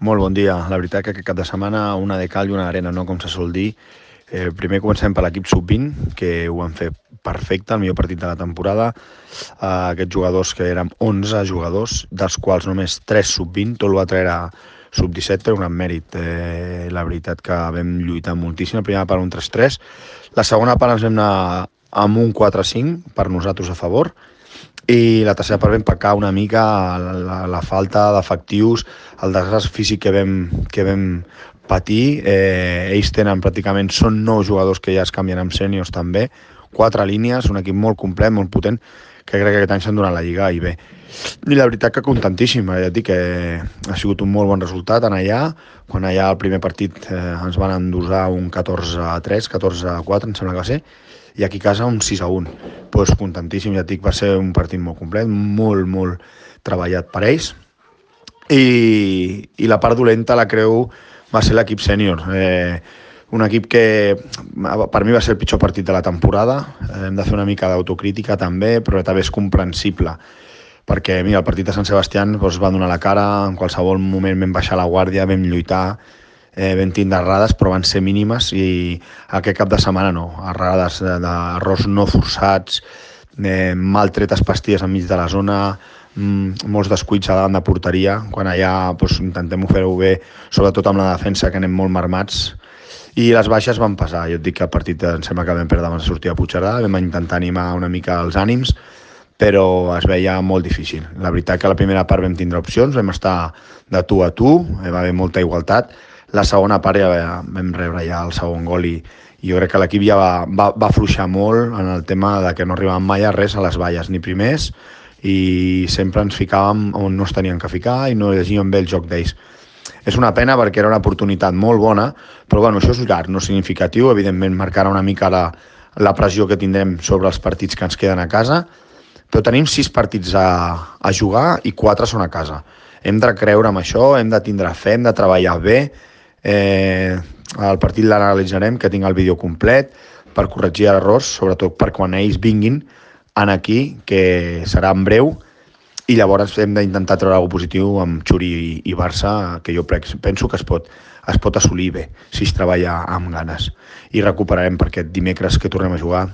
Molt bon dia. La veritat que aquest cap de setmana una de cal i una d'arena, no? Com se sol dir. Primer comencem per l'equip sub-20, que ho van fer perfecte, el millor partit de la temporada. Aquests jugadors, que eren 11 jugadors, dels quals només 3 sub-20, tot el va treure sub-17 per un gran mèrit. La veritat que vam lluitar moltíssim. La primera part un 3-3, la segona part ens vam anar amb un 4-5 per nosaltres a favor, i la tercera part vam pecar una mica la falta d'efectius, el desgast físic que vam patir. Ells tenen pràcticament, són 9 jugadors que ja es canvien amb sèniors també, 4 línies, un equip molt complet, molt potent, que crec que aquest any s'han donat la lliga i bé. I la veritat que contentíssim, ja et dic que ha sigut un molt bon resultat en allà, quan allà el primer partit ens van endosar un 14-3, 14-4 em sembla que va ser, i aquí a casa un 6-1. Pues contentíssim, ja et dic, va ser un partit molt complet, molt treballat per ells, i la part dolenta la creu va ser l'equip sènior. Un equip que per mi va ser el pitjor partit de la temporada. Hem de fer una mica d'autocrítica també, però també és comprensible, perquè mira, el partit de Sant Sebastià doncs, va donar la cara, en qualsevol moment vam baixar la guàrdia, vam lluitar, vam tindre errades, però van ser mínimes, i aquest cap de setmana no, errades d'errors no forçats, mal tretes pastilles enmig de la zona, molts descuits a davant de porteria, quan allà doncs, intentem fer-ho bé, sobretot amb la defensa, que anem molt marmats, i les baixes van passar. Jo et dic que el partit em sembla que vam perdre abans de sortir a Puigcerdà, vam intentar animar una mica els ànims, però es veia molt difícil. La veritat que a la primera part vam tindre opcions, vam estar de tu a tu, va haver molta igualtat. La segona part ja vam rebre ja el segon gol, i jo crec que l'equip ja va afluixar molt en el tema de que no arribàvem mai a res a les valles, ni primers, i sempre ens ficàvem on no es tenien que ficar i no llegíem bé el joc d'ells. És una pena perquè era una oportunitat molt bona, però bueno, això és llarg, no significatiu. Evidentment marcarà una mica la pressió que tindrem sobre els partits que ens queden a casa, però tenim 6 partits a jugar i 4 són a casa. Hem de creure en això, hem de tindre fe, hem de treballar bé. El partit l'analitzarem, que tinc el vídeo complet, per corregir errors, sobretot per quan ells vinguin aquí, que serà en breu, i llavors hem d'intentar treure alguna cosa positiu amb Xuri i Barça, que jo penso que es pot assolir bé si es treballa amb ganes. I recuperarem per aquest dimecres que tornem a jugar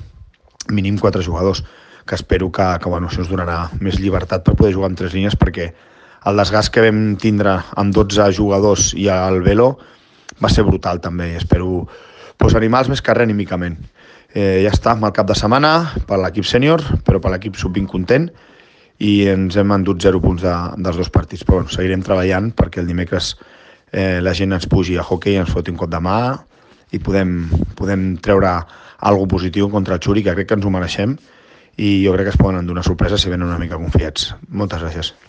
mínim 4 jugadors, que espero que bueno, això ens donarà més llibertat per poder jugar amb 3 línies, perquè el desgast que vam tindre amb 12 jugadors i el Velo va ser brutal també, i espero animar-los més que res anímicament. Ja està, amb el cap de setmana per l'equip sènior, però per l'equip sub-20 content, i ens hem endut 0 punts dels 2 partits, però bueno, seguirem treballant perquè el dimecres la gent ens pugi a hoquei, ens foti un cop de mà i podem treure alguna positiu contra el Xuri, que crec que ens ho mereixem, i jo crec que es poden endur una sorpresa si venen una mica confiats. Moltes gràcies.